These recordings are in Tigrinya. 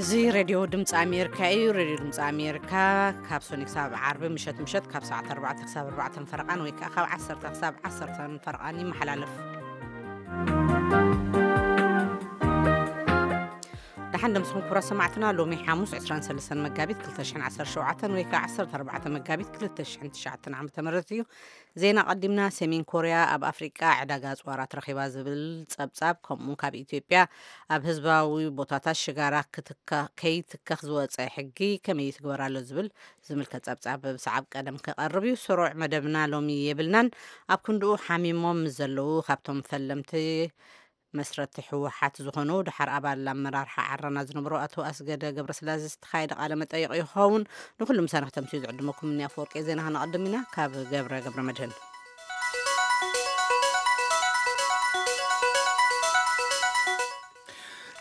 እዚ ሬድዮ ድምፂ ኣሜሪካ እዩ። ሬድዮ ድምፂ ኣሜሪካ ካብ ሶኒ ክሳብ ዓርቢ ምሸት ምሸት ካብ ሰዓት ኣርባዕተ ክሳብ ኣርባዕተ ፈረቓን ወይ ከዓ ካብ ዓሰርተ ክሳብ ዓሰርተ ፈረቓን ይመሓላለፍ። ደሓን ደምስኹም ክቡራት ሰማዕትና። ሎሚ ሓሙስ ዕስራን ሰለስተን መጋቢት ክልተ ሽሕን ዓሰርተ ሸውዓተን ወይ ከዓ ዓሰርተ ኣርባዕተ መጋቢት ክልተ ሽሕን ትሽዓተን ዓመተ ምህረት እዩ። ዜና ቀዲምና። ሰሜን ኮርያ ኣብ ኣፍሪቃ ዕዳጋ ኣጽዋራት ረኺባ ዝብል ጸብጻብ፣ ከምኡ ካብ ኢትዮጵያ ኣብ ህዝባዊ ቦታታት ሽጋራ ክትካ-፣ ከይትከኽ ዝወጸ ሕጊ ከመይ ይትግበር ኣሎ ዝብል ዝምልከት ጸብጻብ ብሰዓብ ቀደም ክቐርብ እዩ። ስሩዕ መደብና ሎሚ የብልናን። ኣብ ክንድኡ ሓሚሞም ምስ ዘለዉ ካብቶም ፈለምቲ መስረቲ ህወሓት ዝኾኑ፣ ድሓር ኣባል ኣመራርሓ ዓረና ዝነበሩ ኣቶ ኣስገደ ገብረስላሴ ዝተኻየደ ቃለ መጠይቕ ይኸውን። ንኩሉ ምሳና ክተምስዩ ዝዕድመኩም እኒ ኣፈወርቂ ዜና ክነቐድም ኢና። ካብ ገብረ ገብረ መድህን።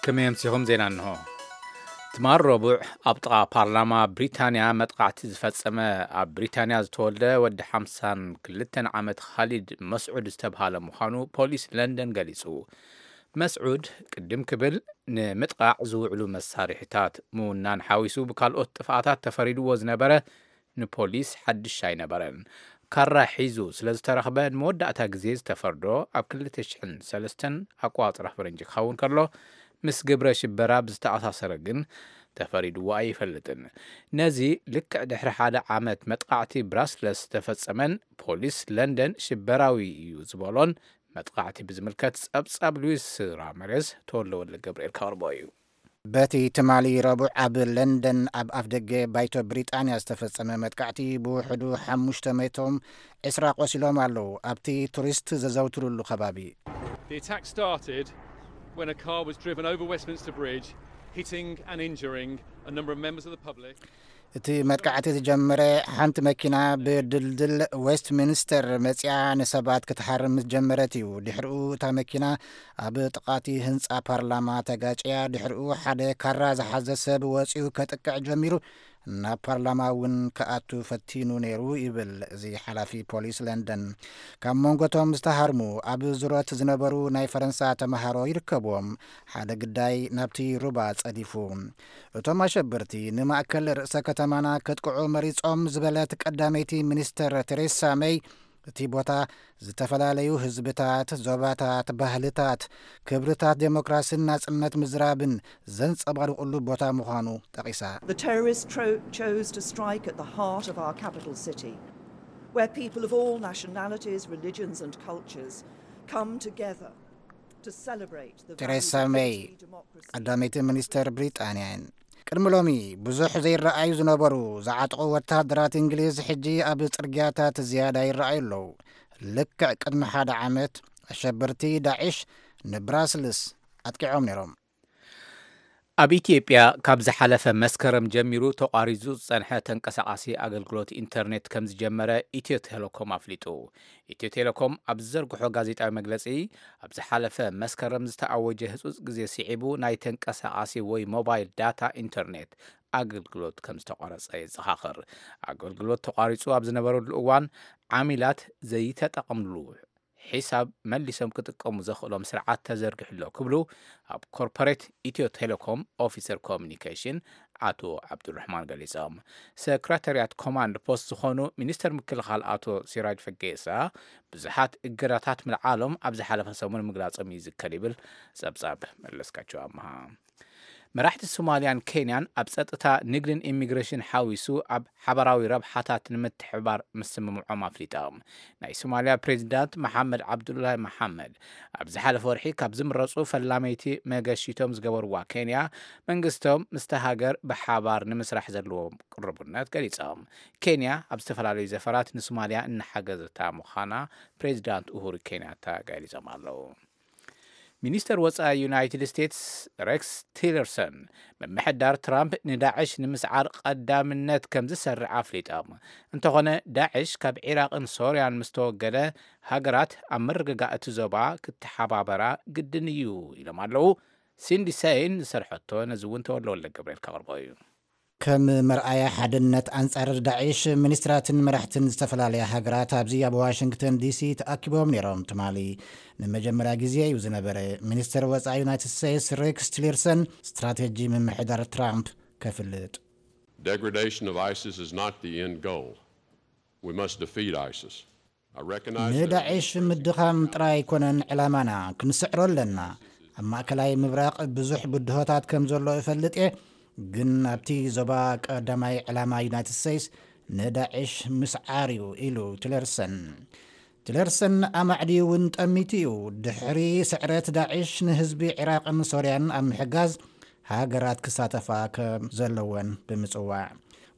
ከመይ ኣምሲኹም? ዜና እንሆ። ትማል ረቡዕ ኣብ ጥቓ ፓርላማ ብሪታንያ መጥቃዕቲ ዝፈጸመ ኣብ ብሪታንያ ዝተወልደ ወዲ ሓምሳን ክልተን ዓመት ኻሊድ መስዑድ ዝተብሃለ ምዃኑ ፖሊስ ለንደን ገሊጹ። መስዑድ ቅድም ክብል ንምጥቃዕ ዝውዕሉ መሳርሒታት ምውናን ሓዊሱ ብካልኦት ጥፍኣታት ተፈሪድዎ ዝነበረ ንፖሊስ ሓድሽ ኣይነበረን። ካራ ሒዙ ስለ ዝተረኽበ ንመወዳእታ ግዜ ዝተፈርዶ ኣብ ክልተ ሽሕን ሰለስተን ኣቋጽራ ፈረንጂ ክኸውን ከሎ፣ ምስ ግብረ ሽበራ ብዝተኣሳሰረ ግን ተፈሪድዎ ኣይፈልጥን። ነዚ ልክዕ ድሕሪ ሓደ ዓመት መጥቃዕቲ ብራስለስ ዝተፈጸመን ፖሊስ ለንደን ሽበራዊ እዩ ዝበሎን መጥቃዕቲ ብዝምልከት ጸብጻብ ሉዊስ ራመሬዝ ተወልደ ወልደ ገብርኤል ከቕርቦ እዩ። በቲ ትማሊ ረቡዕ ኣብ ለንደን ኣብ ኣፍደገ ባይቶ ብሪጣንያ ዝተፈጸመ መጥቃዕቲ ብውሕዱ ሓሙሽተ መቶም ዕስራ ቆሲሎም ኣለዉ። ኣብቲ ቱሪስት ዘዘውትሩሉ ከባቢ The attack started when a car was driven over Westminster Bridge, hitting and injuring a number of members of the public. እቲ መጥቃዕቲ ዝጀመረ ሓንቲ መኪና ብድልድል ዌስትሚንስተር መጽያ ንሰባት ክትሃርም ምስ ጀመረት እዩ። ድሕሪኡ እታ መኪና ኣብ ጥቓቲ ህንጻ ፓርላማ ተጋጭያ። ድሕሪኡ ሓደ ካራ ዝሓዘ ሰብ ወጺኡ ከጥቅዕ ጀሚሩ፣ ናብ ፓርላማ እውን ክኣቱ ፈቲኑ ነይሩ ይብል እዚ ሓላፊ ፖሊስ ለንደን። ካብ መንጎቶም ዝተሃርሙ ኣብ ዙረት ዝነበሩ ናይ ፈረንሳ ተመሃሮ ይርከብዎም። ሓደ ግዳይ ናብቲ ሩባ ጸዲፉ። እቶም ኣሸበርቲ ንማእከል ርእሰ ከተማና ከጥቅዑ መሪጾም ዝበለት ቀዳመይቲ ሚኒስተር ቴሬሳ መይ፣ እቲ ቦታ ዝተፈላለዩ ህዝብታት፣ ዞባታት፣ ባህልታት፣ ክብርታት ዴሞክራስን ናጽነት ምዝራብን ዘንጸባርቑሉ ቦታ ምዃኑ ጠቒሳ። The terrorists tro- chose to strike at the heart of our capital city, where people of all nationalities, religions and cultures come together to celebrate the ቴሬሳ values of ሜይ፣ liberty, democracy. ቀዳመይቲ ሚኒስተር ብሪጣንያ እየን። ቅድሚ ሎሚ ብዙሕ ዘይረኣዩ ዝነበሩ ዝዓጥቑ ወተሃደራት እንግሊዝ ሕጂ ኣብ ጽርግያታት ዝያዳ ይረኣዩ ኣለዉ። ልክዕ ቅድሚ ሓደ ዓመት ኣሸበርቲ ዳዕሽ ንብራስልስ ኣጥቂዖም ነይሮም። ኣብ ኢትዮጵያ ካብ ዝሓለፈ መስከረም ጀሚሩ ተቋሪጹ ዝጸንሐ ተንቀሳቓሲ ኣገልግሎት ኢንተርኔት ከም ዝጀመረ ኢትዮ ቴሌኮም ኣፍሊጡ። ኢትዮ ቴሌኮም ኣብ ዝዘርግሖ ጋዜጣዊ መግለጺ፣ ኣብ ዝሓለፈ መስከረም ዝተኣወጀ ህጹጽ ግዜ ስዒቡ ናይ ተንቀሳቓሲ ወይ ሞባይል ዳታ ኢንተርኔት ኣገልግሎት ከም ዝተቋረጸ የዘኻኽር። ኣገልግሎት ተቋሪጹ ኣብ ዝነበረሉ እዋን ዓሚላት ዘይተጠቐምሉ ሒሳብ መሊሶም ክጥቀሙ ዘኽእሎም ስርዓት ተዘርጊሑ ኣሎ ክብሉ ኣብ ኮርፖሬት ኢትዮ ቴሌኮም ኦፊሰር ኮሚኒኬሽን ኣቶ ዓብዱራሕማን ገሊጾም። ሰክረታርያት ኮማንድ ፖስት ዝኾኑ ሚኒስተር ምክልኻል ኣቶ ሲራጅ ፈጌሳ ብዙሓት እገዳታት ምልዓሎም ኣብ ዝሓለፈ ሰሙን ምግላጾም ይዝከር ይብል ጸብጻብ መለስካቸው ኣምሃ። መራሕቲ ሶማልያን ኬንያን ኣብ ጸጥታ፣ ንግድን ኢሚግሬሽን ሓዊሱ ኣብ ሓባራዊ ረብሓታት ንምትሕብባር ምስምምዖም ኣፍሊጦም። ናይ ሶማልያ ፕሬዚዳንት መሓመድ ዓብዱላሂ መሓመድ ኣብ ዝሓለፈ ወርሒ ካብ ዝምረጹ ፈላመይቲ መገሺቶም ዝገበርዋ ኬንያ፣ መንግስቶም ምስቲ ሃገር ብሓባር ንምስራሕ ዘለዎም ቅርቡነት ገሊጾም። ኬንያ ኣብ ዝተፈላለዩ ዘፈራት ንሶማልያ እናሓገዘታ ምዃና ፕሬዚዳንት ኡሁሩ ኬንያታ ገሊጾም ኣለዉ። ሚኒስተር ወጻኢ ዩናይትድ ስቴትስ ሬክስ ቲለርሰን፣ ምምሕዳር ትራምፕ ንዳዕሽ ንምስዓር ቀዳምነት ከም ዝሰርዕ ኣፍሊጦም። እንተኾነ፣ ዳዕሽ ካብ ዒራቕን ሶርያን ምስ ተወገደ፣ ሃገራት ኣብ ምርግጋእ እቲ ዞባ ክተሓባበራ ግድን እዩ ኢሎም ኣለዉ። ሲንዲ ሰይን ዝሰርሐቶ ነዚ እውን ተወልደ ወልደ ገብርኤል ከቕርቦ እዩ። ከም መርኣያ ሓድነት ኣንጻር ዳዒሽ፣ ሚኒስትራትን መራሕትን ዝተፈላለያ ሃገራት ኣብዚ ኣብ ዋሽንግተን ዲሲ ተኣኪቦም ነይሮም። ትማሊ ንመጀመርያ ግዜ እዩ ዝነበረ። ሚኒስትር ወጻኢ ዩናይትድ ስቴትስ ሬክስ ቲለርሰን ስትራቴጂ ምምሕዳር ትራምፕ ከፍልጥ። Degradation of ISIS is not the end goal. We must defeat ISIS. I recognize that ንዳዒሽ ምድኻም ጥራይ ኣይኮነን ዕላማና፣ ክንስዕሮ ኣለና። ኣብ ማእከላይ ምብራቕ ብዙሕ ብድሆታት ከም ዘሎ እፈልጥ እየ፣ ግን ኣብቲ ዞባ ቀዳማይ ዕላማ ዩናይትድ ስቴትስ ንዳዒሽ ምስዓር እዩ ኢሉ ቲለርሰን። ቲለርሰን ኣማዕድዩ እውን ጠሚቱ እዩ። ድሕሪ ስዕረት ዳዒሽ ንህዝቢ ዒራቕን ሶርያን ኣብ ምሕጋዝ ሃገራት ክሳተፋ ከም ዘለወን ብምጽዋዕ፣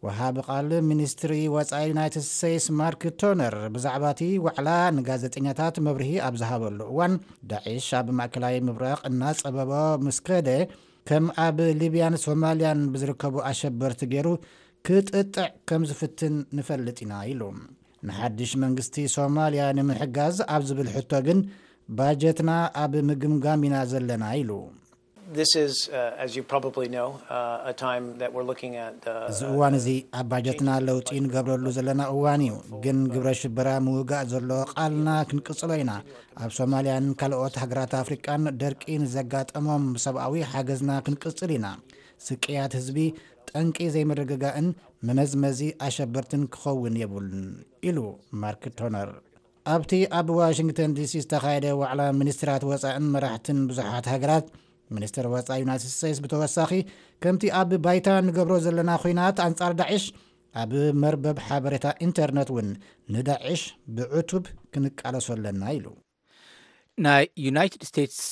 ወሃቢ ቃል ሚኒስትሪ ወጻኢ ዩናይትድ ስቴትስ ማርክ ቶነር ብዛዕባ እቲ ዋዕላ ንጋዜጠኛታት መብርሂ ኣብ ዝሃበሉ እዋን፣ ዳዒሽ ኣብ ማእከላይ ምብራቕ እናጸበቦ ምስ ከደ፣ ከም ኣብ ሊብያን ሶማልያን ብዝርከቡ ኣሸበርቲ ገይሩ ክጥጥዕ ከም ዝፍትን ንፈልጥ ኢና ኢሉ። ንሓድሽ መንግስቲ ሶማልያ ንምሕጋዝ ኣብ ዝብል ሕቶ ግን፣ ባጀትና ኣብ ምግምጋም ኢና ዘለና ኢሉ። This is, uh, as you probably know, uh, a time that we're looking at. Uh, እዚ እዋን እዚ ኣብ ባጀትና ለውጢ ንገብረሉ ዘለና እዋን እዩ። ግን ግብረ ሽበራ ምውጋእ ዘሎ ቃልና ክንቅጽሎ ኢና። ኣብ ሶማልያን ካልኦት ሃገራት ኣፍሪቃን ደርቂ ንዘጋጠሞም ሰብኣዊ ሓገዝና ክንቅጽል ኢና። ስቅያት ህዝቢ ጠንቂ ዘይምርግጋእን መመዝመዚ ኣሸበርትን ክኸውን የብሉን ኢሉ ማርክ ቶነር። ኣብቲ ኣብ ዋሽንግተን ዲሲ ዝተኻየደ ዋዕላ ሚኒስትራት ወጻእን መራሕትን ብዙሓት ሃገራት፣ ሚኒስትር ወጻኢ ዩናይትድ ስቴትስ ብተወሳኺ፣ ከምቲ ኣብ ባይታ ንገብሮ ዘለና ኹናት ኣንጻር ዳዒሽ፣ ኣብ መርበብ ሓበሬታ ኢንተርነት እውን ንዳዒሽ ብዕቱብ ክንቃለሶ ኣለና ኢሉ። ናይ ዩናይትድ ስቴትስ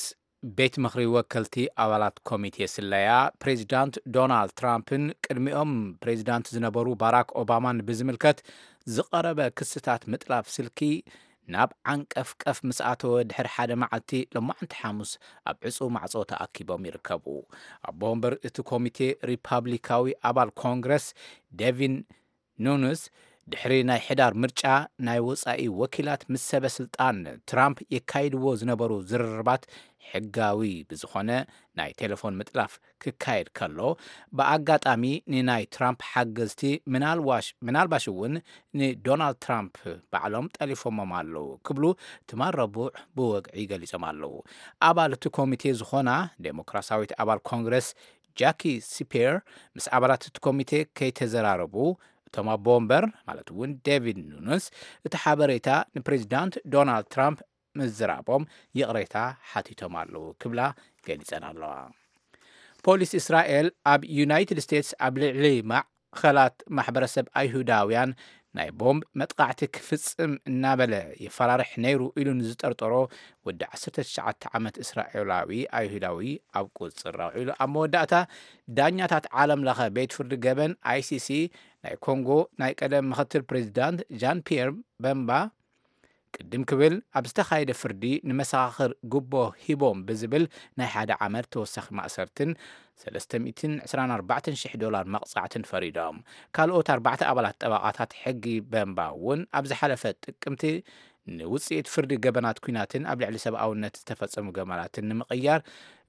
ቤት ምኽሪ ወከልቲ ኣባላት ኮሚቴ ስለያ፣ ፕሬዚዳንት ዶናልድ ትራምፕን ቅድሚኦም ፕሬዚዳንት ዝነበሩ ባራክ ኦባማን ብዝምልከት ዝቐረበ ክስታት ምጥላፍ ስልኪ ናብ ዓንቀፍቀፍ ምስ ኣተወ ድሕሪ ሓደ መዓልቲ፣ ሎማዕንቲ ሓሙስ ኣብ ዕጹው ማዕጾ ተኣኪቦም ይርከቡ። ኣቦ ወንበር እቲ ኮሚቴ፣ ሪፓብሊካዊ ኣባል ኮንግረስ ዴቪን ኑኑስ፣ ድሕሪ ናይ ሕዳር ምርጫ ናይ ወጻኢ ወኪላት ምስ ሰበ ስልጣን ትራምፕ የካይድዎ ዝነበሩ ዝርርባት ሕጋዊ ብዝኾነ ናይ ቴሌፎን ምጥላፍ ክካየድ ከሎ፣ ብኣጋጣሚ ንናይ ትራምፕ ሓገዝቲ፣ ምናልባሽ እውን ንዶናልድ ትራምፕ ባዕሎም ጠሊፎሞም ኣለዉ ክብሉ ትማል ረቡዕ ብወግዒ ገሊጾም ኣለዉ። ኣባል እቲ ኮሚቴ ዝኾና ዴሞክራሲያዊት ኣባል ኮንግረስ ጃኪ ሲፔር ምስ ኣባላት እቲ ኮሚቴ ከይተዘራረቡ፣ እቶም ኣቦ ወንበር ማለት እውን ዴቪድ ኑኑስ እቲ ሓበሬታ ንፕሬዚዳንት ዶናልድ ትራምፕ ምዝራቦም ይቕሬታ ሓቲቶም ኣለዉ ክብላ ገሊጸን ኣለዋ። ፖሊስ እስራኤል ኣብ ዩናይትድ ስቴትስ ኣብ ልዕሊ ማዕኸላት ማሕበረሰብ ኣይሁዳውያን ናይ ቦምብ መጥቃዕቲ ክፍጽም እናበለ የፈራርሕ ነይሩ ኢሉ ንዝጠርጠሮ ወዲ ዓሰርተ ትሽዓተ ዓመት እስራኤላዊ ኣይሁዳዊ ኣብ ቁጽር ኣውዒሉ። ኣብ መወዳእታ፣ ዳኛታት ዓለም ለኸ ቤት ፍርዲ ገበን ኣይሲሲ ናይ ኮንጎ ናይ ቀደም ምኽትል ፕሬዚዳንት ጃን ፒየር በምባ ቅድም ክብል ኣብ ዝተኻየደ ፍርዲ ንመሰኻኽር ጉቦ ሂቦም ብዝብል ናይ ሓደ ዓመት ተወሳኺ ማእሰርትን ሰለስተ ሚእትን ዕስራን ኣርባዕተን ሽሕ ዶላር መቕጻዕትን ፈሪዶም። ካልኦት ኣርባዕተ ኣባላት ጠበቓታት ሕጊ በምባ እውን ኣብ ዝሓለፈ ጥቅምቲ ንውጽኢት ፍርዲ ገበናት ኲናትን ኣብ ልዕሊ ሰብኣውነት ዝተፈጸሙ ገበናትን ንምቕያር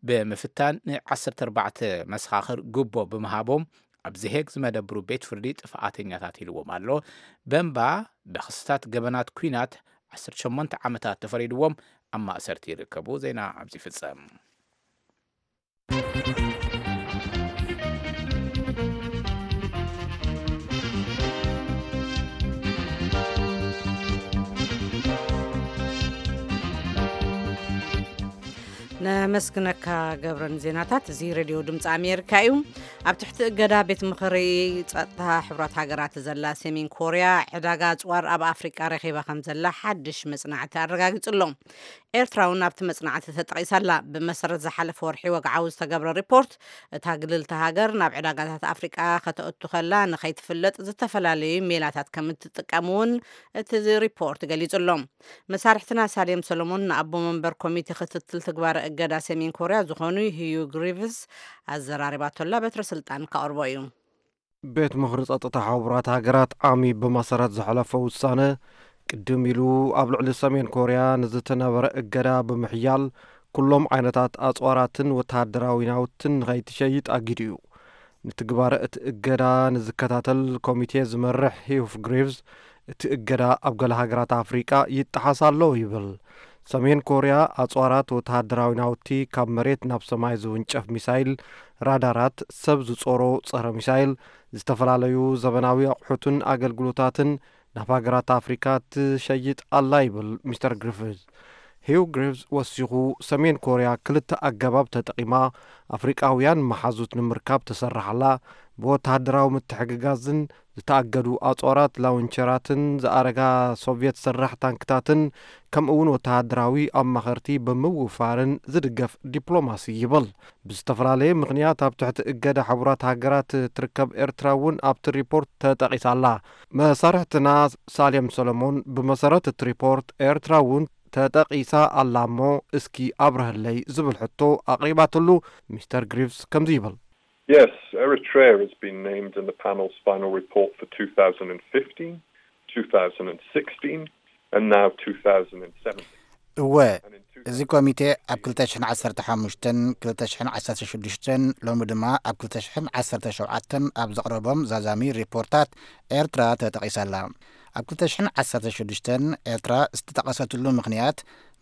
ብምፍታን ን ዓሰርተ ኣርባዕተ መሰኻኽር ጉቦ ብምሃቦም ኣብዚ ሄግ ዝመደብሩ ቤት ፍርዲ ጥፍኣተኛታት ኢልዎም ኣሎ። በምባ ብኽስታት ገበናት ኲናት ዓሰርተ ሸሞንተ ዓመታት ተፈሪድዎም ኣብ ማእሰርቲ ይርከቡ። ዜና ኣብዚ ይፍጸም። ነመስግነካ ገብረ ንዜናታት። እዚ ሬድዮ ድምፂ ኣሜሪካ እዩ። ኣብ ትሕቲ እገዳ ቤት ምኽሪ ጸጥታ ሕቡራት ሃገራት ዘላ ሰሜን ኮርያ ዕዳጋ ኣጽዋር ኣብ ኣፍሪቃ ረኺባ ከም ዘላ ሓድሽ መጽናዕቲ ኣረጋጊጹ ኣሎ። ኤርትራ እውን ኣብቲ መጽናዕቲ ተጠቒሳ ኣላ። ብመሰረት ዝሓለፈ ወርሒ ወግዓዊ ዝተገብረ ሪፖርት፣ እታ ግልልቲ ሃገር ናብ ዕዳጋታት ኣፍሪቃ ከተእቱ ከላ ንኸይትፍለጥ ዝተፈላለዩ ሜላታት ከም እትጥቀም እውን እቲ ሪፖርት ገሊጹ ኣሎ። መሳርሕትና ሳሌም ሰሎሞን ንኣቦ መንበር ኮሚቴ ክትትል ትግባረ እገዳ ሰሜን ኮርያ ዝኾኑ ህዩ ግሪቭስ ኣዘራሪባቶላ። በትረ ስልጣን ካቕርቦ እዩ። ቤት ምኽሪ ጸጥታ ሕቡራት ሃገራት ዓሚ ብመሰረት ዘሕለፎ ውሳነ፣ ቅድም ኢሉ ኣብ ልዕሊ ሰሜን ኮርያ ንዝተነበረ እገዳ ብምሕያል፣ ኩሎም ዓይነታት ኣጽዋራትን ወተሃደራዊ ናውትን ንኸይትሸይጥ ኣጊዱ እዩ። ንትግባረ እቲ እገዳ ንዝከታተል ኮሚቴ ዝመርሕ ሂዩፍ ግሪቭስ፣ እቲ እገዳ ኣብ ገለ ሃገራት ኣፍሪቃ ይጠሓስ ኣሎ ይብል። ሰሜን ኮርያ ኣጽዋራት ወተሃደራዊ ናውቲ፣ ካብ መሬት ናብ ሰማይ ዝውንጨፍ ሚሳይል፣ ራዳራት፣ ሰብ ዝጾሮ ጸረ ሚሳይል፣ ዝተፈላለዩ ዘበናዊ ኣቑሑትን ኣገልግሎታትን ናብ ሃገራት ኣፍሪካ ትሸይጥ ኣላ ይብል ሚስተር ግሪፍዝ። ሂው ግሪፍዝ ወሲኹ፣ ሰሜን ኮርያ ክልተ ኣገባብ ተጠቒማ ኣፍሪቃውያን መሓዙት ንምርካብ ትሰርሕ ኣላ። ብወተሃደራዊ ምትሕግጋዝን ዝተኣገዱ ኣጽዋራት ላውንቸራትን ዝኣረጋ ሶቭየት ሰራሕ ታንክታትን ከምኡ እውን ወተሃደራዊ ኣማኸርቲ ብምውፋርን ዝድገፍ ዲፕሎማሲ ይብል። ብዝተፈላለየ ምኽንያት ኣብ ትሕቲ እገዳ ሕቡራት ሃገራት ትርከብ ኤርትራ እውን ኣብቲ ሪፖርት ተጠቒሳ ኣላ። መሳርሕትና ሳሌም ሰሎሞን ብመሰረት እቲ ሪፖርት ኤርትራ እውን ተጠቒሳ ኣላ እሞ እስኪ ኣብርሀለይ ዝብል ሕቶ ኣቕሪባትሉ። ሚስተር ግሪፍስ ከምዚ ይብል። Yes, Eritrea has been named in the panel's final report for two thousand fifteen, two thousand sixteen, and now two thousand seventeen. እወ፣ እዚ ኮሚቴ ኣብ ክልተ ሽሕን ዓሰርተ ሓሙሽተን፣ ክልተ ሽሕን ዓሰርተ ሽዱሽተን፣ ሎሚ ድማ ኣብ ክልተ ሽሕን ዓሰርተ ሸውዓተን ኣብ ዘቕረቦም ዛዛሚ ሪፖርታት ኤርትራ ተጠቒሳ ኣላ። ኣብ ክልተ ሽሕን ዓሰርተ ሽዱሽተን ኤርትራ ዝተጠቐሰትሉ ምኽንያት፣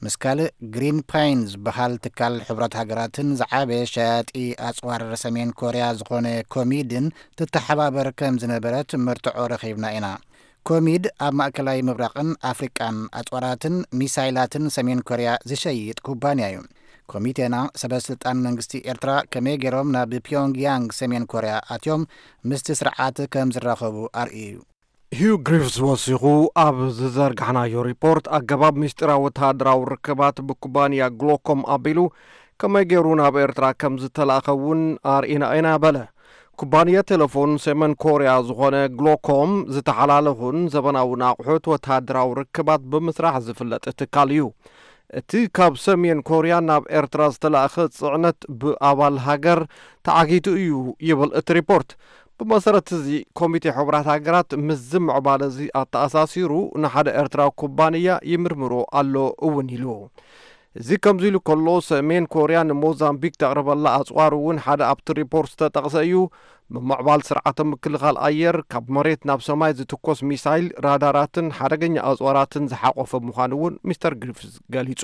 ምስ ካልእ ግሪን ፓይን ዝበሃል ትካል ሕቡራት ሃገራትን ዝዓበየ ሸያጢ ኣጽዋር ሰሜን ኮርያ ዝኾነ ኮሚድን ትተሓባበር ከም ዝነበረት መርትዖ ረኺብና ኢና። ኮሚድ ኣብ ማእከላይ ምብራቕን ኣፍሪቃን ኣጽዋራትን ሚሳይላትን ሰሜን ኮርያ ዝሸይጥ ኩባንያ እዩ። ኮሚቴና ሰበ ስልጣን መንግስቲ ኤርትራ ከመይ ገይሮም ናብ ፒዮንግያንግ ሰሜን ኮርያ ኣትዮም ምስቲ ስርዓት ከም ዝራኸቡ ኣርእዩ እዩ። ሂው ግሪፍስ ወሲኹ፣ ኣብ ዝዘርጋሕናዮ ሪፖርት ኣገባብ ምስጢራዊ ወተሃደራዊ ርክባት ብኩባንያ ግሎኮም ኣቢሉ ከመይ ገይሩ ናብ ኤርትራ ከም ዝተላእኸ እውን ኣርኢና ኢና በለ። ኩባንያ ቴሌፎን ሰሜን ኮርያ ዝኾነ ግሎኮም ዝተሓላለኹን ዘበናውን ኣቑሑት ወተሃደራዊ ርክባት ብምስራሕ ዝፍለጥ ትካል እዩ። እቲ ካብ ሰሜን ኮርያ ናብ ኤርትራ ዝተላእኸ ጽዕነት ብኣባል ሃገር ተዓጊቱ እዩ ይብል እቲ ሪፖርት። ብመሰረት እዚ ኮሚቴ ሕቡራት ሃገራት ምስዚ ምዕባለ እዚ ኣተኣሳሲሩ ንሓደ ኤርትራዊ ኩባንያ ይምርምሮ ኣሎ እውን ኢሉ። እዚ ከምዚ ኢሉ ከሎ፣ ሰሜን ኮርያ ንሞዛምቢክ ተቕርበላ ኣጽዋር እውን ሓደ ኣብቲ ሪፖርት ዝተጠቕሰ እዩ። ብምዕባል ስርዓተ ምክልኻል ኣየር፣ ካብ መሬት ናብ ሰማይ ዝትኮስ ሚሳይል፣ ራዳራትን ሓደገኛ ኣጽዋራትን ዝሓቆፈ ምዃኑ እውን ሚስተር ግሪፍዝ ገሊጹ።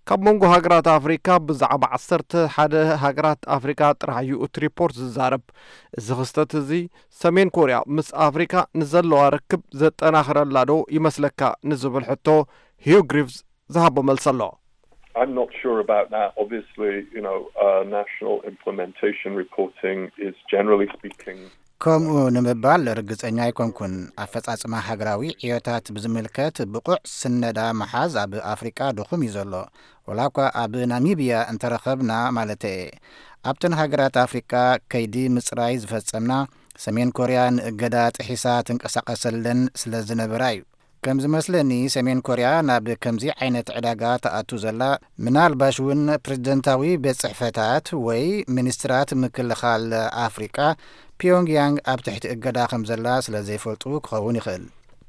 ካብ መንጎ ሃገራት ኣፍሪካ ብዛዕባ ዓሰርተ ሓደ ሃገራት ኣፍሪካ ጥራሕ እዩ እቲ ሪፖርት ዝዛረብ። እዚ ክስተት እዚ ሰሜን ኮርያ ምስ ኣፍሪካ ንዘለዋ ርክብ ዘጠናኽረላ ዶ ይመስለካ ንዝብል ሕቶ ሂው ግሪፍዝ ዝሃቦ መልሲ ኣሎ። I'm not sure about that. Obviously, you know, uh, national implementation reporting is generally speaking ከምኡ ንምባል ርግጸኛ ኣይኮንኩን። ኣፈጻጽማ ሃገራዊ ዕዮታት ብዝምልከት ብቑዕ ስነዳ ምሓዝ ኣብ ኣፍሪቃ ድኹም እዩ ዘሎ፣ ወላ እኳ ኣብ ናሚብያ እንተረኸብና ማለተየ። ኣብተን ሃገራት ኣፍሪቃ ከይዲ ምጽራይ ዝፈጸምና ሰሜን ኮርያ ንእገዳ ጥሒሳ ትንቀሳቐሰለን ስለ ዝነበራ እዩ። ከም ዝመስለኒ ሰሜን ኮርያ ናብ ከምዚ ዓይነት ዕዳጋ ትኣቱ ዘላ፣ ምናልባሽ እውን ፕሬዝደንታዊ ቤት ጽሕፈታት ወይ ሚኒስትራት ምክልኻል ኣፍሪቃ ፒዮንግያንግ ኣብ ትሕቲ እገዳ ከም ዘላ ስለ ዘይፈልጡ ክኸውን ይኽእል።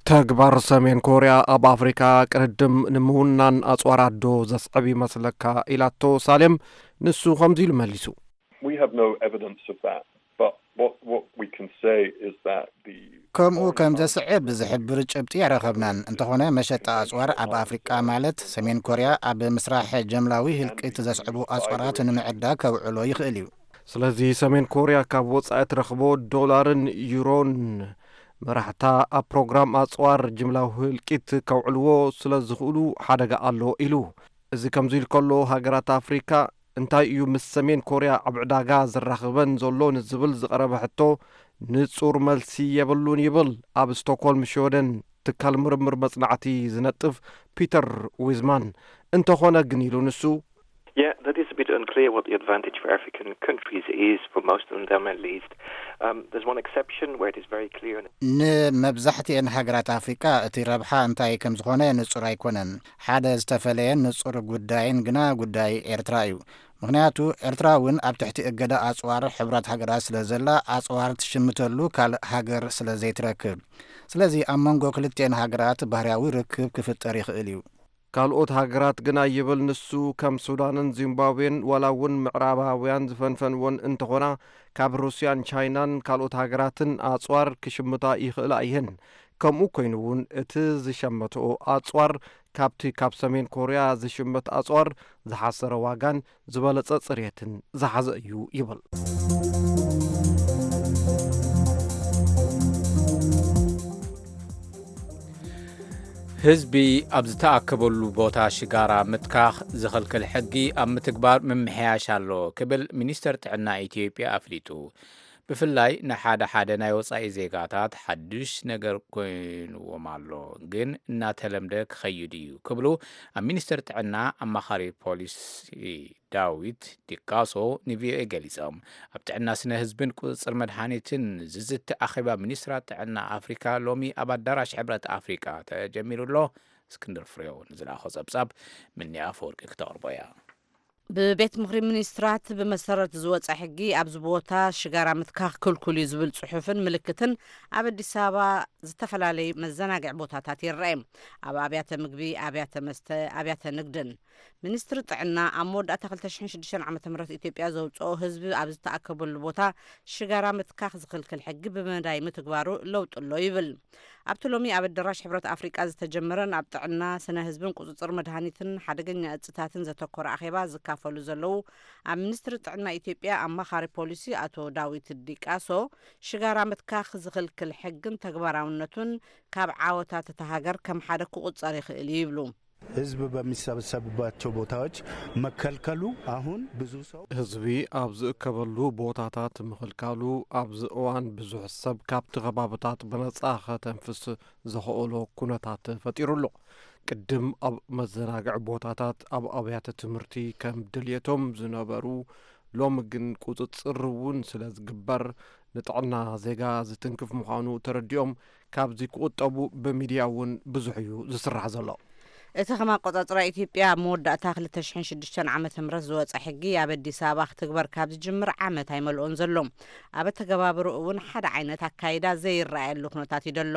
ተግባር ሰሜን ኮርያ ኣብ ኣፍሪካ ቅድድም ንምውናን ኣጽዋራት ዶ ዘስዕብ ይመስለካ? ኢላቶ ሳሌም። ንሱ ከምዚ ኢሉ መሊሱ። We have no evidence of that, but what, what we can say is that the ከምኡ ከም ዘስዕብ ዝሕብር ጭብጢ ኣይረኸብናን። እንተኾነ መሸጣ ኣጽዋር ኣብ ኣፍሪቃ ማለት ሰሜን ኮርያ ኣብ ምስራሕ ጀምላዊ ህልቂት ዘስዕቡ ኣጽዋራት ንምዕዳግ ከውዕሎ ይኽእል እዩ። ስለዚ ሰሜን ኮርያ ካብ ወጻኢ ትረኽቦ ዶላርን ዩሮን መራሕታ ኣብ ፕሮግራም ኣጽዋር ጅምላዊ ህልቂት ከውዕልዎ ስለ ዝኽእሉ ሓደጋ ኣሎ ኢሉ። እዚ ከምዚ ኢሉ ከሎ ሃገራት ኣፍሪካ እንታይ እዩ ምስ ሰሜን ኮርያ ኣብ ዕዳጋ ዘራኽበን ዘሎ ንዝብል ዝቐረበ ሕቶ ንጹር መልሲ የብሉን ይብል ኣብ ስቶክሆልም ሽወደን ትካል ምርምር መጽናዕቲ ዝነጥፍ ፒተር ዊዝማን። እንተኾነ ግን ኢሉ ንሱ። Yeah, that is a bit unclear what the advantage for African countries is, for most of them at least. Um, there's one exception where it is very clear. ንመብዛሕትኤን ሃገራት ኣፍሪቃ እቲ ረብሓ እንታይ ከም ዝኾነ ንጹር ኣይኮነን። ሓደ ዝተፈለየን ንጹር ጉዳይን ግና ጉዳይ ኤርትራ እዩ። ምኽንያቱ ኤርትራ እውን ኣብ ትሕቲ እገዳ ኣጽዋር ሕቡራት ሃገራት ስለ ዘላ ኣጽዋር ትሽምተሉ ካልእ ሃገር ስለ ዘይትረክብ። ስለዚ ኣብ መንጎ ክልቲኤን ሃገራት ባህርያዊ ርክብ ክፍጠር ይኽእል እዩ። ካልኦት ሃገራት ግና ይብል ንሱ፣ ከም ሱዳንን ዚምባብዌን ዋላ እውን ምዕራባውያን ዝፈንፈንዎን እንተኾና፣ ካብ ሩስያን ቻይናን ካልኦት ሃገራትን ኣጽዋር ክሽምታ ይኽእላ እየን። ከምኡ ኮይኑ እውን እቲ ዝሸመትኦ ኣጽዋር ካብቲ ካብ ሰሜን ኮርያ ዝሽመት ኣጽዋር ዝሓሰረ ዋጋን ዝበለጸ ጽሬትን ዝሓዘ እዩ ይብል። ህዝቢ ኣብ ዝተኣከበሉ ቦታ ሽጋራ ምትካኽ ዝኽልክል ሕጊ ኣብ ምትግባር ምምሕያሽ ኣሎ ክብል ሚኒስተር ጥዕና ኢትዮጵያ ኣፍሊጡ። ብፍላይ ንሓደ ሓደ ናይ ወጻኢ ዜጋታት ሓዱሽ ነገር ኮይንዎም ኣሎ፣ ግን እናተለምደ ክኸይድ እዩ ክብሉ ኣብ ሚኒስተር ጥዕና ኣማኻሪ ፖሊሲ ዳዊት ዲቃሶ ንቪኦኤ ገሊጾም። ኣብ ጥዕና ስነ ህዝብን ቁጽጽር መድሃኒትን ዝዝቲ ኣኼባ ሚኒስትራት ጥዕና ኣፍሪካ ሎሚ ኣብ ኣዳራሽ ሕብረት ኣፍሪካ ተጀሚሩ ኣሎ። እስክንድር ፍሬው ንዝለኣኾ ጸብጻብ ምኒ ኣፈወርቂ ክተቕርቦ እያ። ብቤት ምኽሪ ሚኒስትራት ብመሰረት ዝወፀ ሕጊ ኣብዚ ቦታ ሽጋራ ምትካኽ ክልኩል እዩ ዝብል ፅሑፍን ምልክትን ኣብ ኣዲስ ኣበባ ዝተፈላለዩ መዘናግዒ ቦታታት ይረአ። ኣብ ኣብያተ ምግቢ፣ ኣብያተ መስተ፣ ኣብያተ ንግድን። ሚኒስትሪ ጥዕና ኣብ መወዳእታ ክልተ ሽሕን ሽዱሽተን ዓመተ ምህረት ኢትዮጵያ ዘውፅኦ ህዝቢ ኣብ ዝተኣከበሉ ቦታ ሽጋራ ምትካኽ ዝኽልክል ሕጊ ብመዳይ ምትግባሩ ለውጢ ኣሎ ይብል። ኣብቲ ሎሚ ኣብ ኣዳራሽ ሕብረት ኣፍሪቃ ዝተጀመረን ኣብ ጥዕና፣ ስነ ህዝብን ቁጽጽር መድሃኒትን ሓደገኛ እጽታትን ዘተኮረ ኣኼባ ዝካፈሉ ዘለዉ ኣብ ሚኒስትሪ ጥዕና ኢትዮጵያ ኣማኻሪ ፖሊሲ ኣቶ ዳዊት ዲቃሶ፣ ሽጋራ ምትካኽ ዝኽልክል ሕግን ተግባራውነቱን ካብ ዓወታት እታ ሃገር ከም ሓደ ክቑጸር ይኽእል እዩ ይብሉ። ህዝብ በሚሰበሰብባቸው ቦታዎች መከልከሉ አሁን ብዙ ሰው ህዝቢ ኣብ ዝእከበሉ ቦታታት ምኽልካሉ ኣብዚ እዋን ብዙሕ ሰብ ካብቲ ከባብታት ብነጻ ከተንፍስ ዘኽእሎ ኩነታት ፈጢሩ ኣሎ። ቅድም ኣብ መዘናግዒ ቦታታት፣ ኣብ ኣብያተ ትምህርቲ ከም ድልየቶም ዝነበሩ፣ ሎሚ ግን ቁጽጽር እውን ስለ ዝግበር ንጥዕና ዜጋ ዝትንክፍ ምዃኑ ተረዲኦም ካብዚ ክቑጠቡ ብሚድያ እውን ብዙሕ እዩ ዝስራሕ ዘሎ። እቲ ከም ኣቆጻጽራ ኢትዮጵያ ኣብ መወዳእታ ክልተ ሽሕን ሽዱሽተን ዓመተ ምህረት ዝወጸ ሕጊ ኣብ ኣዲስ ኣበባ ክትግበር ካብ ዝጅምር ዓመት ኣይመልኦን ዘሎ። ኣብ ኣተገባብርኡ እውን ሓደ ዓይነት ኣካይዳ ዘይረኣየሉ ኩነታት እዩ ዘሎ።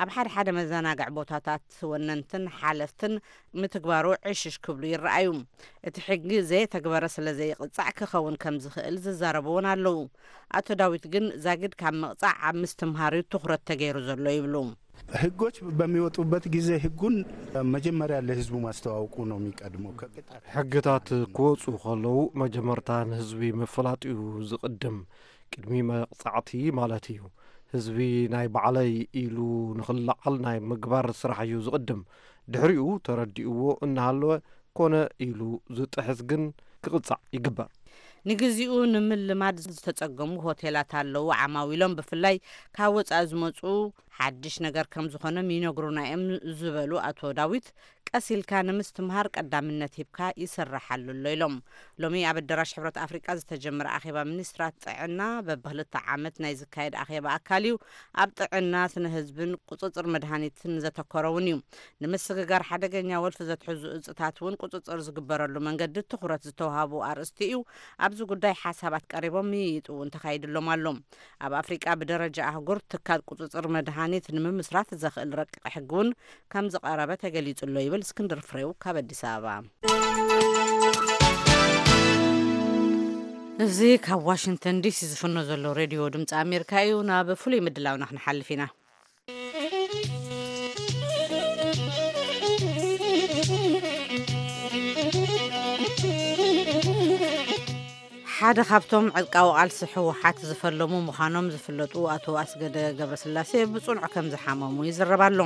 ኣብ ሓደ ሓደ መዘናግዒ ቦታታት ወነንትን ሓለፍትን ምትግባሩ ዕሽሽ ክብሉ ይረኣዩ። እቲ ሕጊ ዘየተግበረ ስለ ዘይቕጻዕ ክኸውን ከም ዝኽእል ዝዛረቡ እውን ኣለዉ። ኣቶ ዳዊት ግን ዛጊድ ካብ ምቕጻዕ ኣብ ምስትምሃር እዩ ትኹረት ተገይሩ ዘሎ ይብሉ። ህጎች በሚወጡበት ጊዜ ህጉን መጀመሪያ ለህዝቡ ማስተዋወቁ ነው የሚቀድመው ከቅጣት። ሕግታት ክወፁ ከለዉ መጀመርታ ንህዝቢ ምፍላጥ እዩ ዝቕድም፣ ቅድሚ መቕጻዕቲ ማለት እዩ። ህዝቢ ናይ ባዕለይ ኢሉ ንኽለዓል ናይ ምግባር ስራሕ እዩ ዝቕድም። ድሕሪኡ ተረዲእዎ እናሃለወ ኮነ ኢሉ ዝጥሕስ ግን ክቕጻዕ ይግበር። ንግዚኡ ንምልማድ ዝተጸገሙ ሆቴላት ኣለዉ። ዓማዊሎም ብፍላይ ካብ ወጻኢ ዝመጹ ሓድሽ ነገር ከም ዝኾኖም ይነግሩና እዮም ዝበሉ ኣቶ ዳዊት፣ ቀስ ኢልካ ንምስትምሃር ቀዳምነት ሂብካ ይስርሓሉ ኣሎ ኢሎም። ሎሚ ኣብ ኣዳራሽ ሕብረት ኣፍሪቃ ዝተጀመረ ኣኼባ ሚኒስትራት ጥዕና በብክልተ ዓመት ናይ ዝካየድ ኣኼባ ኣካል እዩ። ኣብ ጥዕና፣ ስነ ህዝብን ቁጽጽር መድሃኒትን ዘተኮረ እውን እዩ። ንምስግጋር ሓደገኛ ወልፊ ዘትሕዙ እጽታት እውን ቁጽጽር ዝግበረሉ መንገዲ ትኹረት ዝተውሃቡ ኣርእስቲ እዩ። ኣብዚ ጉዳይ ሓሳባት ቀሪቦም ምይይጥ እውን ተኻይድሎም ኣሎ። ኣብ ኣፍሪቃ ብደረጃ ኣህጉር ትካል ቁጽጽር መድሃኒት ንምምስራት ዘኽእል ረቂቕ ሕጊ እውን ከም ዝቐረበ ተገሊጹ ኣሎ ይብል እስክንድር ፍሬው ካብ ኣዲስ ኣበባ። እዚ ካብ ዋሽንግተን ዲሲ ዝፍኖ ዘሎ ሬድዮ ድምፂ ኣሜሪካ እዩ። ናብ ፍሉይ ምድላውና ክንሓልፍ ኢና። ሓደ ካብቶም ዕጥቃዊ ቃልሲ ህወሓት ዝፈለሙ ምዃኖም ዝፍለጡ ኣቶ ኣስገደ ገብረስላሴ ብጽኑዕ ከም ዝሓመሙ ይዝረብ ኣሎ።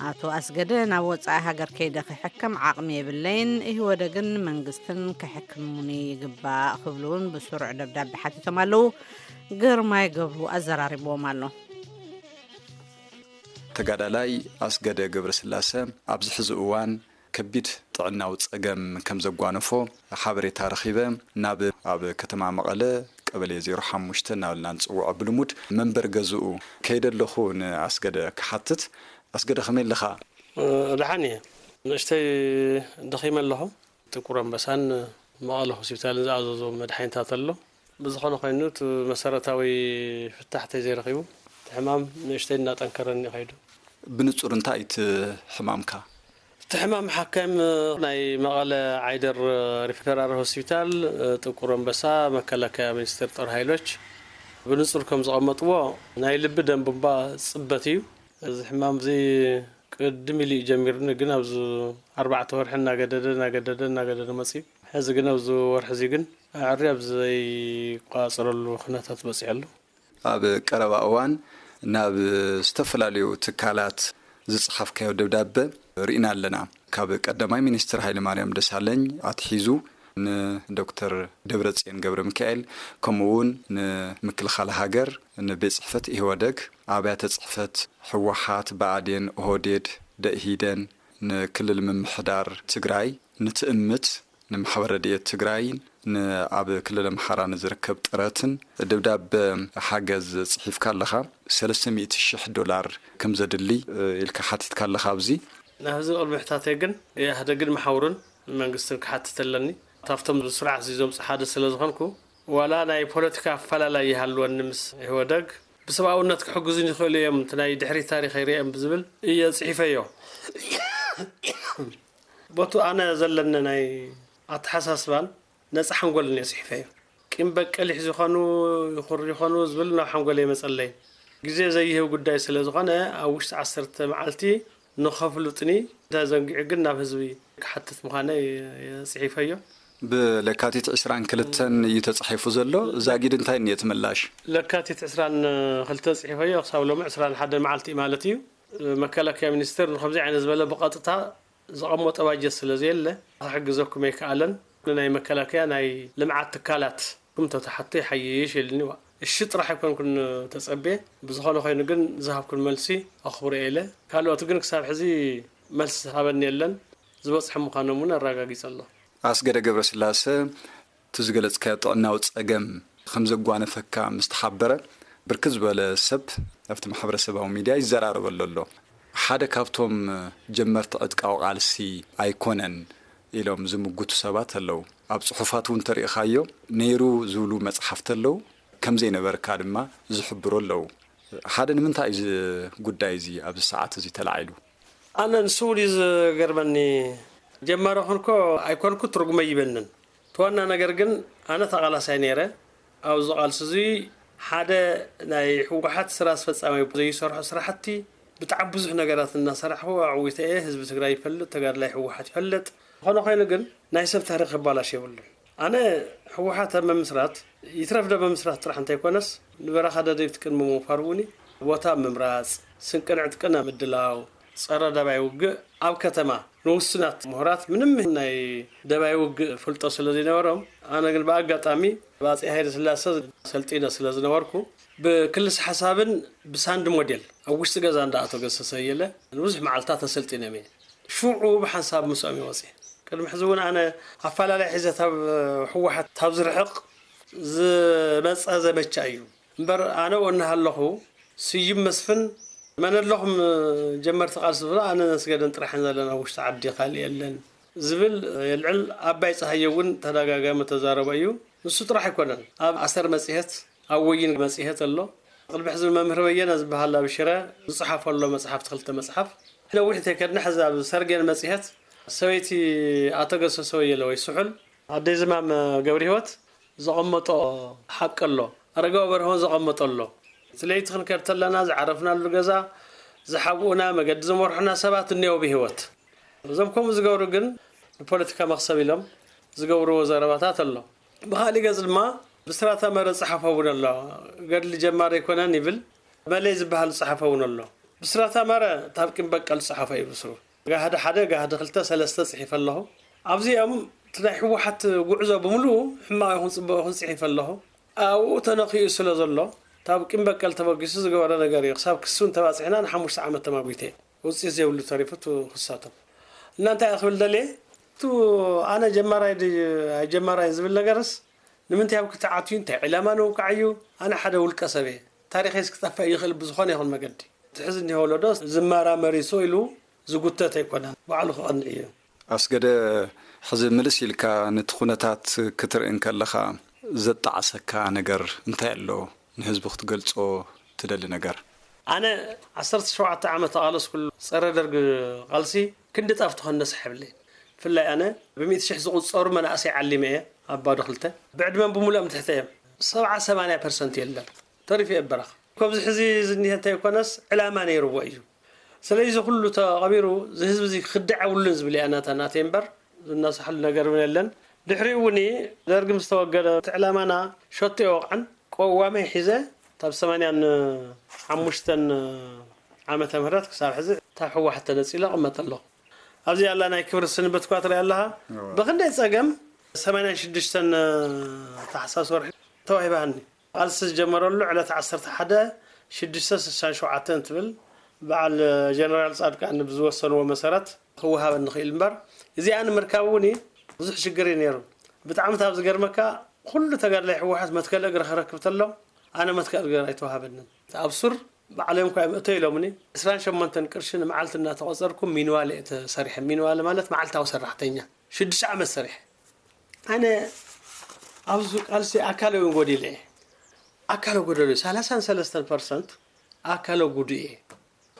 ኣቶ ኣስገደ ናብ ወጻኢ ሃገር ከይደ ክሕከም ዓቕሚ የብለይን፣ ኢህወደግን መንግስትን ከሕክሙኒ ይግባእ ክብሉ እውን ብስሩዕ ደብዳቤ ሓቲቶም ኣለዉ። ግርማይ ገብሩ ኣዘራሪብዎም ኣሎ። ተጋዳላይ ኣስገደ ገብረስላሰ ኣብዚ ሕዚ እዋን ከቢድ ጥዕናዊ ጸገም ከም ዘጓነፎ ሓበሬታ ረኺበ። ናብ ኣብ ከተማ መቐለ ቀበሌ ዜሮ ሓሙሽተ እናበልና ንጽውዖ ብልሙድ መንበር ገዝኡ ከይደ ኣለኹ ንኣስገደ ክሓትት። ኣስገደ ከመይ ኣለኻ? ደሓን እየ። ንእሽተይ ደኺመ ኣለኹ። ጥቁር ኣንበሳን መቐለ ሆስፒታልን ዝኣዘዞ መድሓኒታት ኣሎ። ብዝኾነ ኮይኑ እቲ መሰረታዊ ፍታሕ ተዘይረኺቡ እቲ ሕማም ንእሽተይ እናጠንከረኒ ከይዱ። ብንጹር እንታይ እቲ ሕማምካ? እቲ ሕማም ሓካይም ናይ መቐለ ዓይደር ሪፈራል ሆስፒታል፣ ጥቁር ኣንበሳ፣ መከላከያ ሚኒስቴር ጦር ኃይሎች ብንጹር ከም ዘቐመጥዎ፣ ናይ ልቢ ደም ቡንባ ጽበት እዩ። እዚ ሕማም እዚ ቅድም ኢሉ እዩ ጀሚርኒ፣ ግን ኣብዚ ኣርባዕተ ወርሒ እናገደደ እናገደደ እናገደደ መጽዩ። ሕዚ ግን ኣብዚ ወርሒ እዚ ግን ኣዕሪ ኣብ ዘይቋጽረሉ ኩነታት በጺሑ ኣሎ። ኣብ ቀረባ እዋን ናብ ዝተፈላለዩ ትካላት ዝጽሓፍካዮ ደብዳበ ርኢና ኣለና። ካብ ቀዳማይ ሚኒስትር ሃይለማርያም ደሳለኝ ኣትሒዙ ንዶክተር ደብረጽዮን ገብረ ሚካኤል፣ ከምኡ እውን ንምክልኻል ሃገር፣ ንቤት ጽሕፈት ኢህወደግ፣ ኣብያተ ጽሕፈት ህወሓት፣ ብኣዴን፣ ኦህዴድ፣ ደኢህዴን፣ ንክልል ምምሕዳር ትግራይ፣ ንትእምት፣ ንማሕበር ረድኤት ትግራይን ንኣብ ክልል ኣምሓራ ንዝርከብ ጥረትን ደብዳበ ሓገዝ ጽሒፍካ ኣለኻ። ሰለስተ ሚእቲ ሽሕ ዶላር ከም ዘድሊ ኢልካ ሓቲትካ ኣለኻ። ኣብዚ ናብ ህዝቢ ቅድሚ ሕታተይ ግን ኢህኣደግን መሓውሩን መንግስትን ክሓትት ኣለኒ። ካብቶም ስርዓት እዚ ዘምጽእ ሓደ ስለ ዝኾንኩ፣ ዋላ ናይ ፖለቲካ ኣፈላላይ ይሃልወኒ ምስ ኢህወደግ፣ ብሰብኣውነት ክሕግዙን ይኽእሉ እዮም፣ እቲ ናይ ድሕሪት ታሪኸይ ርእዮም ብዝብል እየ ጽሒፈዮ። ቦቱ ኣነ ዘለኒ ናይ ኣተሓሳስባን ነጻ ሓንጎልን እየ ጽሒፈዮ። ቂም በቀል ይሕዙ ይኾኑ፣ ይኹር ይኾኑ ዝብል ናብ ሓንጎለይ ኣይመጸለይን። ግዜ ዘይህብ ጉዳይ ስለ ዝኾነ፣ ኣብ ውሽጢ ዓሰርተ መዓልቲ ንኸፍሉጥኒ ተዘንጊዑ ግን ናብ ህዝቢ ክሓትት ምዃነይ እየ ጽሒፈዮ። ብለካቲት ዕስራን ክልተን እዩ ተጻሒፉ ዘሎ። ዛጊድ እንታይ እኒኦ እቲ ምላሽ? ለካቲት ዕስራን ክልተ ጽሒፈዮ፣ ክሳብ ሎሚ ዕስራን ሓደን መዓልቲ ማለት እዩ። መከላከያ ሚኒስቴር ንከምዚ ዓይነት ዝበለ ብቐጥታ ዘቐመጦ ባጀት ስለ ዘየለ፣ ክሕግዘኩም ኣይከኣለን። ንናይ መከላከያ ናይ ልምዓት ትካላት ክም ተተሓቶ ይሓይሽ ኢልኒ። ዋ፣ እሺ ጥራሕ ኣይኮንኩን ተጸቤ። ብዝኾነ ኮይኑ ግን ዝሃብኩን መልሲ ኣኽብሮ ኢለ። ካልኦት ግን ክሳብ ሕዚ መልሲ ዝሃበኒ የለን። ዝበጽሐ ምዃኖም እውን ኣረጋጊጸ ኣሎ። ኣስገደ ገብረስላሰ፣ እቲ ዝገለጽካዮ ጥዕናዊ ጸገም ከም ዘጓነፈካ ምስ ተሓበረ፣ ብርክት ዝበለ ሰብ ኣብቲ ማሕበረሰባዊ ሚድያ ይዘራረበሉ ኣሎ። ሓደ ካብቶም ጀመርቲ ዕጥቃዊ ቃልሲ ኣይኮነን ኢሎም ዝምጉቱ ሰባት ኣለዉ። ኣብ ጽሑፋት እውን ተሪኢኻዮ ነይሩ ዝብሉ መጽሓፍቲ ኣለዉ። ከም ዘይነበርካ ድማ ዝሕብሩ ኣለዉ። ሓደ ንምንታይ እዩ እዚ ጉዳይ እዚ ኣብዚ ሰዓት እዚ ተላዒሉ? ኣነ ንሱ እውን እዩ ዝገርመኒ። ጀማሪ ኮንኮ ኣይኮንኩ ትርጉመ ይበንን። እቲ ዋና ነገር ግን ኣነ ተቓላሳይ ነይረ። ኣብዚ ቃልሲ እዚ ሓደ ናይ ህወሓት ስራ ኣስፈጻሚ ዘይሰርሖ ስራሕቲ ብጣዕሚ ብዙሕ ነገራት እናሰራሕኹ ኣዕዊተ እየ። ህዝቢ ትግራይ ይፈልጥ፣ ተጋድላይ ህወሓት ይፈልጥ። ዝኾነ ኮይኑ ግን ናይ ሰብ ታሪክ ክባላሽ የብሉን። ኣነ ህወሓት ኣብ ምምስራት ይትረፍ ዶ ምምስራት ጥራሕ እንተይኮነስ ንበረኻ ደደቢት ቅድሚ ምውፋር እውን ቦታ ምምራፅ፣ ስንቅን ዕጥቅን ኣብ ምድላው፣ ፀረ ደባይ ውግእ ኣብ ከተማ ንውሱናት ምሁራት ምንም ናይ ደባይ ውግእ ፍልጦ ስለ ዘይነበሮም፣ ኣነ ግን ብኣጋጣሚ ብኣጼ ሃይለ ስላሰ ሰልጢነ ስለ ዝነበርኩ ብክልስ ሓሳብን ብሳንድ ሞዴል ኣብ ውሽጢ ገዛ እንዳኣቶ ገሰሰ የለ ንብዙሕ መዓልታት ተሰልጢነ እየ። ሽዑ ብሓንሳብ ምስኦም ይወፅእ። ቅድሚ ሕዚ እውን ኣነ ኣፈላለይ ሒዘ ታብ ህወሓት ታብ ዝርሕቕ ዝመፀ ዘመቻ እዩ። እምበር ኣነ ወ እናሃለኹ ስዩም መስፍን መን ኣለኹም ጀመርቲ ቃልሲ ዝብሎ ኣነ ነስገደን ጥራሕን ዘለና ውሽጢ ዓዲ ካልእ የለን ዝብል የልዕል። ኣባይ ፀሃየ እውን ተደጋጋሚ ተዛረቦ እዩ። ንሱ ጥራሕ ኣይኮነን። ኣብ ኣሰር መፅሄት ኣብ ወይን መፅሄት ኣሎ። ቅድሚ ሕዚ መምህር በየነ ዝበሃል ኣብ ሽረ ዝፀሓፈ ኣሎ መፅሓፍቲ ክልተ መፅሓፍ። ነዊሕ እንተይከድና ሕዚ ኣብ ሰርጌን መፅሄት ሰበይቲ ኣቶ ገሰሰ ወየለ ወይ ስሑል ኣደይ ዝማም ገብሪ ህይወት ዘቐመጦ ሓቂ ኣሎ። ኣረጋዊ በርሆን ዘቐመጦ ኣሎ። እቲ ለይቲ ክንከድ ተለና ዝዓረፍናሉ ገዛ ዝሓብኡና መገዲ ዝመርሑና ሰባት እኒአው ብህይወት። እዞም ከምኡ ዝገብሩ ግን ንፖለቲካ መኽሰብ ኢሎም ዝገብርዎ ዘረባታት ኣሎ። ብኻሊእ ገጽ ድማ ብስራታ መረ ዝጸሓፎ እውን ኣሎ። ገድሊ ጀማሪ ኣይኮነን ይብል። መለይ ዝበሃል ዝጸሓፎ እውን ኣሎ። ብስራታ መረ ታብ ቂም በቀል ዝጸሓፎ እዩ ብስሩ። ጋህዲ ሓደ ጋህዲ ክልተ ሰለስተ ጽሒፈ ኣለኹ። ኣብዚኦም እቲ ናይ ህወሓት ጉዕዞ ብምሉኡ ሕማቕ ይኹን ጽቡቕ ይኹን ጽሒፈ ኣለኹ። ኣብኡ ተነኺኡ ስለ ዘሎ ታብ ቂም በቀል ተበጊሱ ዝገበሮ ነገር እዩ። ክሳብ ክሱ እንተባጺሕና ንሓሙሽተ ዓመት ተማጒተ። ውፅኢት ዘይብሉ ተሪፉ እቲ ክሳቶም። እና እንታይ እየ ክብል ደልየ፣ እቱ ኣነ ጀማራይ ድዩ ኣይጀማራይ ዝብል ነገርስ ንምንታይ ኣብ ክተዓትዩ እንታይ ዕላማ ንውቃዕ እዩ። ኣነ ሓደ ውልቀ ሰብ እየ። ታሪኸይስ ክጠፍእ ይኽእል ብዝኾነ ይኹን መገዲ። እቲ ሕዚ እኒሆ ወለዶ ዝመራመር ይስቕ ኢሉ ዝጉተት ኣይኮነን። ባዕሉ ክቐንዕ እዩ። ኣስገደ፣ ሕዚ ምልስ ኢልካ ነቲ ኩነታት ክትርኢ እንከለኻ ዘጣዕሰካ ነገር እንታይ ኣሎ? ንህዝቢ ክትገልጾ ትደሊ ነገር? ኣነ ዓሰርተ ሸውዓተ ዓመት ተቓለስኩሉ ጸረ ደርግ ቃልሲ ክንዲ ጣፍ ተኾነ ሰሕብለይ። ብፍላይ ኣነ ብሚእቲ ሽሕ ዝቑጸሩ መናእሰይ ዓሊመ እየ ኣብ ባዶ ክልተ። ብዕድመን ብምሉኦም ትሕተ እዮም። ሰብዓ ሰማንያ ፐርሰንት የለን። ተሪፉ እየ በረኻ። ካብዚ ሕዚ ዝኒሀ እንተይኮነስ ዕላማ ነይርዎ እዩ። ስለዚ እዚ ኩሉ ተቐቢሩ እዚ ህዝቢ እዚ ክኽዳዕ የብሉን ዝብል እያ ናታ ናተይ እምበር ዝነሳሕሉ ነገር እውን የለን። ድሕሪኡ እውን ደርግ ምስ ተወገደ እቲ ዕላማና ሸቶ የወቕዐን። ቀዋመይ ሒዘ ካብ ሰማንያን ሓሙሽተን ዓመተ ምህረት ክሳብ ሕዚ ካብ ህወሓት ተነጺለ እቕመጥ ኣለኹ። ኣብዚ ኣላ ናይ ክብሪ ስንብትኳ ትርኢ ኣለኻ። እወ። ብኽንደይ ጸገም ሰማንያን ሽዱሽተን ታሕሳስ ወርሒ ተዋሂባኒ። ቃልሲ ዝጀመረሉ ዕለት ዓሰርተ ሓደ ሽዱሽተ ስሳን ሸውዓተን ትብል በዓል ጀነራል ጻድቃን ብዝወሰንዎ መሰረት ክወሃበኒ ክእል እምበር፣ እዚኣ ንምርካብ እውን ብዙሕ ሽግር እዩ ነይሩ። ብጣዕሚ ካብ ዝገርመካ፣ ኩሉ ተጋድላይ ህወሓት መትከል እግሪ ክረክብ ተሎ፣ ኣነ መትከል እግሪ ኣይተዋሃበንን። ኣብ ሱር ባዕሎም እኳ እዮም እቶ ኢሎምኒ። ዕስራን ሸሞንተን ቅርሺ ንመዓልቲ እናተቖጸርኩ ሚንዋል እየ ተሰሪሐ። ሚንዋል ማለት መዓልታዊ ሰራሕተኛ። ሽዱሽተ ዓመት ሰሪሐ። ኣነ ኣብዚ ቃልሲ ኣካለ እውን ጎዲለ እየ። ኣካለ ጎደሎ፣ ሰላሳን ሰለስተን ፐርሰንት ኣካለ ጉዱእ እየ።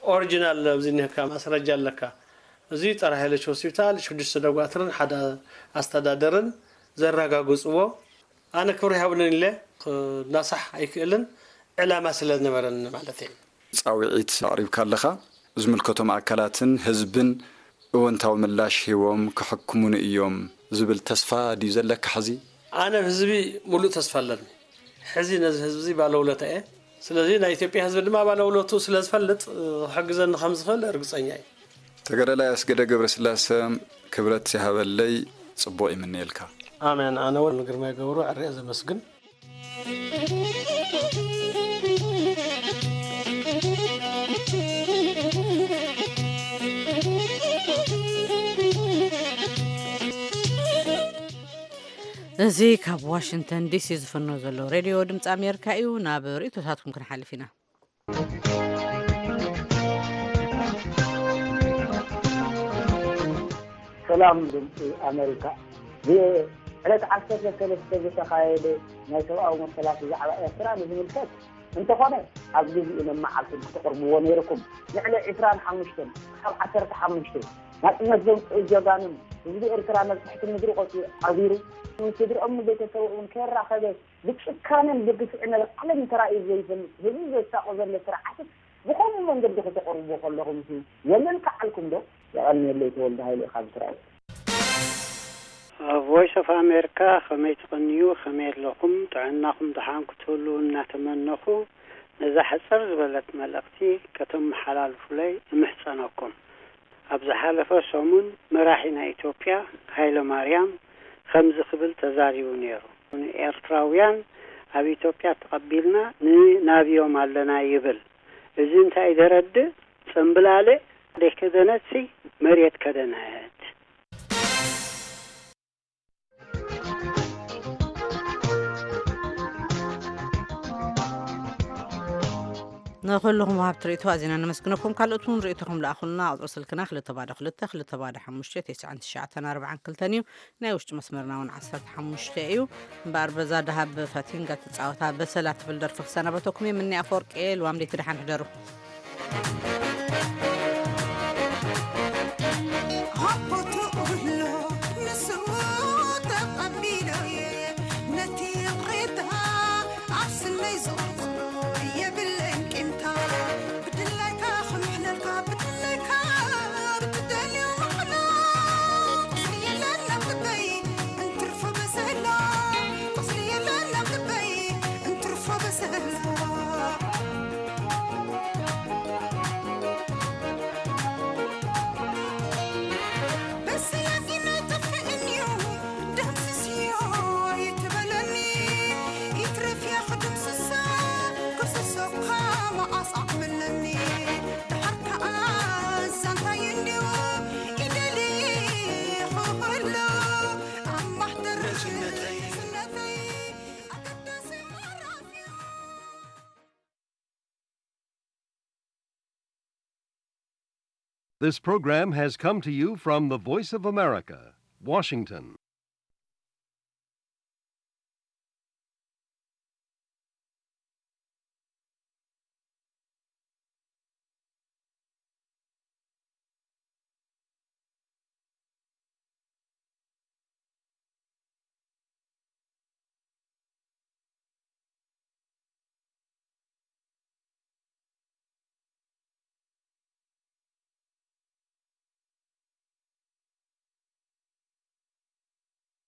ኦሪጂናል ኣብዚ እኒሀካ ማስረጃ ኣለካ። እዚ ጸረ ሃይለሽ ሆስፒታል፣ ሽዱሽተ ደጓትርን ሓደ ኣስተዳደርን ዘረጋግጽዎ። ኣነ ክብሪ ይሃብንን ኢለ ክናሳሕ ኣይክእልን፣ ዕላማ ስለ ዝነበረኒ ማለት እዩ። ጻውዒት ኣቕሪብካ ኣለኻ። ዝምልከቶም ኣካላትን ህዝብን እወንታዊ ምላሽ ሂቦም ክሕክሙኒ እዮም ዝብል ተስፋ ድዩ ዘለካ ሕዚ? ኣነ ህዝቢ ሙሉእ ተስፋ ኣለኒ። ሕዚ ነዚ ህዝቢ እዚ ባለውለታ እየ። ስለዚ ናይ ኢትዮጵያ ህዝቢ ድማ ባለውለቱ ስለ ዝፈልጥ፣ ክሕግዘኒ ከም ዝኽእል ርግጸኛ እየ። ተጋዳላይ ኣስገደ ገብረስላሰ፣ ክብረት ይሃበለይ፣ ጽቡቕ ይምነየልካ። ኣሜን። ኣነ እውን ንግርማይ ገብሩ ኣርእየ ዘመስግን። እዚ ካብ ዋሽንግተን ዲሲ ዝፍኖ ዘሎ ሬድዮ ድምፂ ኣሜሪካ እዩ። ናብ ርእይቶታትኩም ክንሓልፍ ኢና። ሰላም ድምፂ ኣሜሪካ። ብዕለት ዓሰርተ ሰለስተ ዝተኻየደ ናይ ሰብኣዊ መሰላት ብዛዕባ ኤርትራ ንዝምልከት እንተኾነ፣ ኣብ ግዜኡን ኣብ መዓልቱን ክተቕርብዎ ነይርኩም። ንዕሊ ዕስራን ሓሙሽተን ካብ ዓሰርተ ሓሙሽተ ናጽነት ዘምጽኡ ጀጋኑን ህዝቢ ኤርትራ ናብ ትሕቲ ምድሪ ቆጽዩ ዓቢሩ፣ ስድርኦም ንቤተሰቦም ከይራኸበ ብጭካነን ብግፍዕን ኣብ ዓለም ተራእዩ ዘይፈልጥ ህዝቢ ዘሳቑ ዘሎ ስርዓት ብኸምኡ መንገዲ ከተቕርብዎ ከለኹም ሲ የለን ከዓልኩም ዶ? የቐንየለይ፣ ተወልደ ሃይለ ካብ እስራኤል። ቮይስ ኦፍ ኣሜሪካ፣ ከመይ ትቕንዩ? ከመይ ኣለኹም? ጥዕናኹም ደሓን ክትህሉ እናተመነኹ፣ ነዛ ሕጽር ዝበለት መልእኽቲ ከተመሓላልፉለይ እምሕጸነኩም። ኣብ ዝሓለፈ ሰሙን መራሒ ናይ ኢትዮጵያ ሃይለ ማርያም ከምዚ ክብል ተዛሪቡ ነይሩ። ንኤርትራውያን ኣብ ኢትዮጵያ ተቐቢልና ንናብዮም ኣለና ይብል። እዚ እንታይ ደረድእ? ጽምብላልዕ ደይከደነትሲ መሬት ከደነት። ንኹልኹም ወሃብቲ ርእይቶ ኣዚና ነመስግነኩም። ካልኦት እውን ርእይቶኹም ለኣኹልና። ቁጽሪ ስልክና ክልተ ባዶ ክልተ፣ ክልተ ባዶ ሓሙሽተ፣ ተስዓን ትሽዓተን ኣርባዓን ክልተን እዩ። ናይ ውሽጢ መስመርና እውን ዓሰርተ ሓሙሽተ እዩ። እምበኣር በዛ ደሃብ ፋቲንጋ ትጻወታ በሰላ ትብል ደርፊ ክሰናበተኩም እየ። ምኒ ኣፈወርቂ እየ። ልዋም ደይቲ ደሓን ሕደሩ። ሃቦ ተቕብሎ ንስዎ ተቐቢሎ እየ ነቲ ይቕሬታ ኣብ ስለይ ዘቕርቦ የብለይን ቂምታ። ብድላይካ ክምሕለልካ ብድላይካ ብትደልዮ ምሕላ። ቁስሊ የለን ኣብ ልበይ እንትርፎ በሰላ። ቁስሊ የለን ኣብ ልበይ እንትርፎ በሰላ። በሰላጊና ጠፍእንዮ ደምስስዮ ይትበለኒ። ይትረፍያ ክድምስሳ ክስሶካ መዓስ ኣቕብለኒ። ደሓር ከኣ ዛንታይ እንድዩ ኢደሊ ክህሎ ኣብ ማሕደር ስነተይ ኣገዳሲ ምዕራፍ እዩ። This program has come to you from the Voice of America, Washington.